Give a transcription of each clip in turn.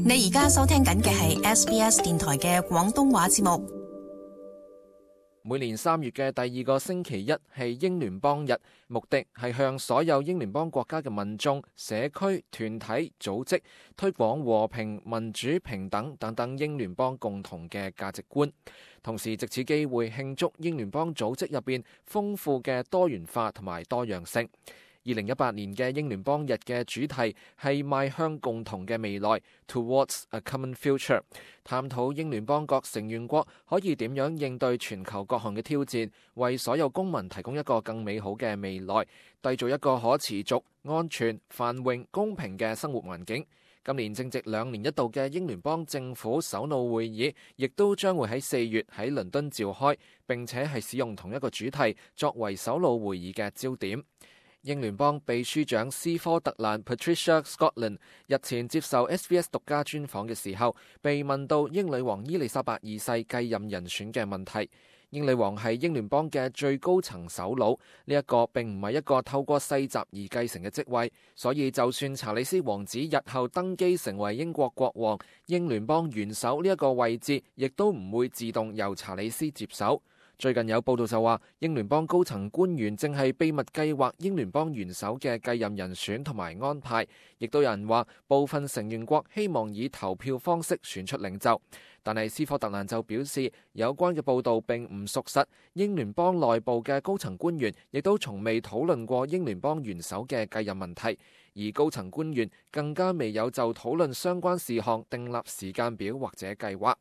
你而家收聽緊嘅係 SBS 電台嘅廣東話節目。每年3月嘅第2個星期一係英聯邦日，目的係向所有英聯邦國家嘅民眾、社區、團體、組織推廣和平、民主、平等等等英聯邦共同嘅價值觀，同時藉此機會慶祝英聯邦組織入邊豐富嘅多元化同埋多樣性。2018年嘅英聯邦日嘅主題係邁向共同嘅未來 Towards a Common Future， 探討英聯邦各成員國可以點樣應對全球各項嘅挑戰，為所有公民提供一個更美好嘅未來，締造一個可持續、安全、繁榮、公平嘅生活環境。今年正值2年一度嘅英聯邦政府首腦會議，亦都將會喺4月喺倫敦召開，並且係使用同一個主題作為首腦會議嘅焦點。英聯邦秘書長斯科特蘭 Patricia Scotland 日前接受 SBS 獨家專訪嘅時候，被問到英女王伊麗莎白二世繼任人選嘅問題。英女王係英聯邦嘅最高層首腦，呢一個並唔係一個透過世襲而繼承嘅職位，所以就算查理斯王子日後登基成為英國國王，英聯邦元首呢一個位置亦都唔會自動由查理斯接手。最近有報道就話，英聯邦高層官員正係秘密計劃英聯邦元首嘅繼任人選同埋安排，亦都有人話部分成員國希望以投票方式選出領袖。但係斯科特蘭就表示，有關嘅報道並唔屬實，英聯邦內部嘅高層官員亦都從未討論過英聯邦元首嘅繼任問題，而高層官員更加未有就討論相關事項訂立時間表或者計劃。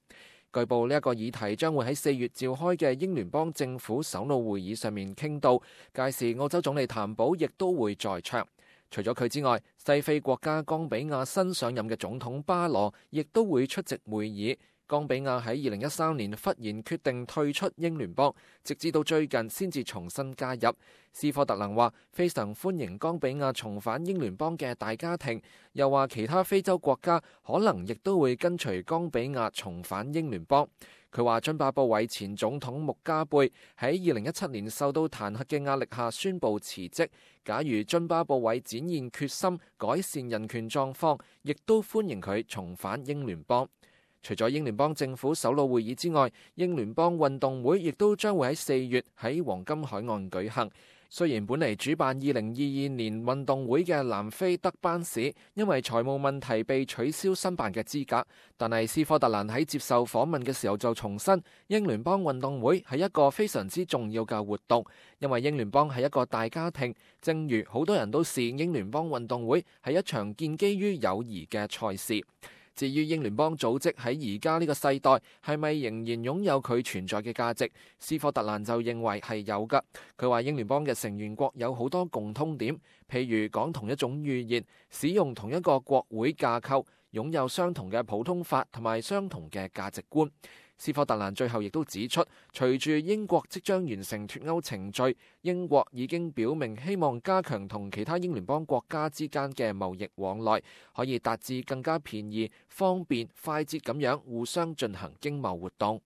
據報呢一個議題將會喺4月召開嘅英聯邦政府首腦會議上面傾到，屆時澳洲總理譚寶亦都會在場。除咗佢之外，西非國家岡比亞新上任嘅總統巴羅亦都會出席會議。岡比亞喺2013年忽然決定退出英聯邦，直至到最近先至重新加入。斯科特蘭話非常歡迎岡比亞重返英聯邦嘅大家庭，又話其他非洲國家可能亦都會跟隨岡比亞重返英聯邦。佢話津巴布韋前總統穆加貝喺2017年受到彈劾嘅壓力下宣布辭職，假如津巴布韋展現決心改善人權狀況，亦都歡迎佢重返英聯邦。除咗英聯邦政府首腦會議之外，英聯邦運動會亦都將會喺4月喺黃金海岸舉行。雖然本嚟主辦2022年運動會嘅南非德班市因為財務問題被取消申辦嘅資格，但係斯科特蘭喺接受訪問嘅時候就重申，英聯邦運動會係一個非常之重要嘅活動，因為英聯邦係一個大家庭，正如好多人都視英聯邦運動會係一場建基於友誼嘅賽事。至於英聯邦組織喺而家呢個世代係咪仍然擁有佢存在嘅價值，斯科特蘭就認為係有㗎。佢話英聯邦嘅成員國有好多共通點，譬如講同一種語言，使用同一個國會架構，擁有相同嘅普通法同埋相同嘅價值觀。斯科特蘭最後亦都指出，隨住英國即將完成脫歐程序，英國已經表明希望加強同其他英聯邦國家之間嘅貿易往來，可以達至更加便宜、方便、快捷咁樣互相進行經貿活動。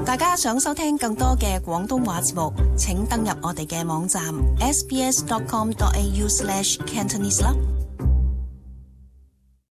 大家想收聽更多嘅廣東話節目，請登入我哋嘅網站 sbs.com.au/cantonese 啦。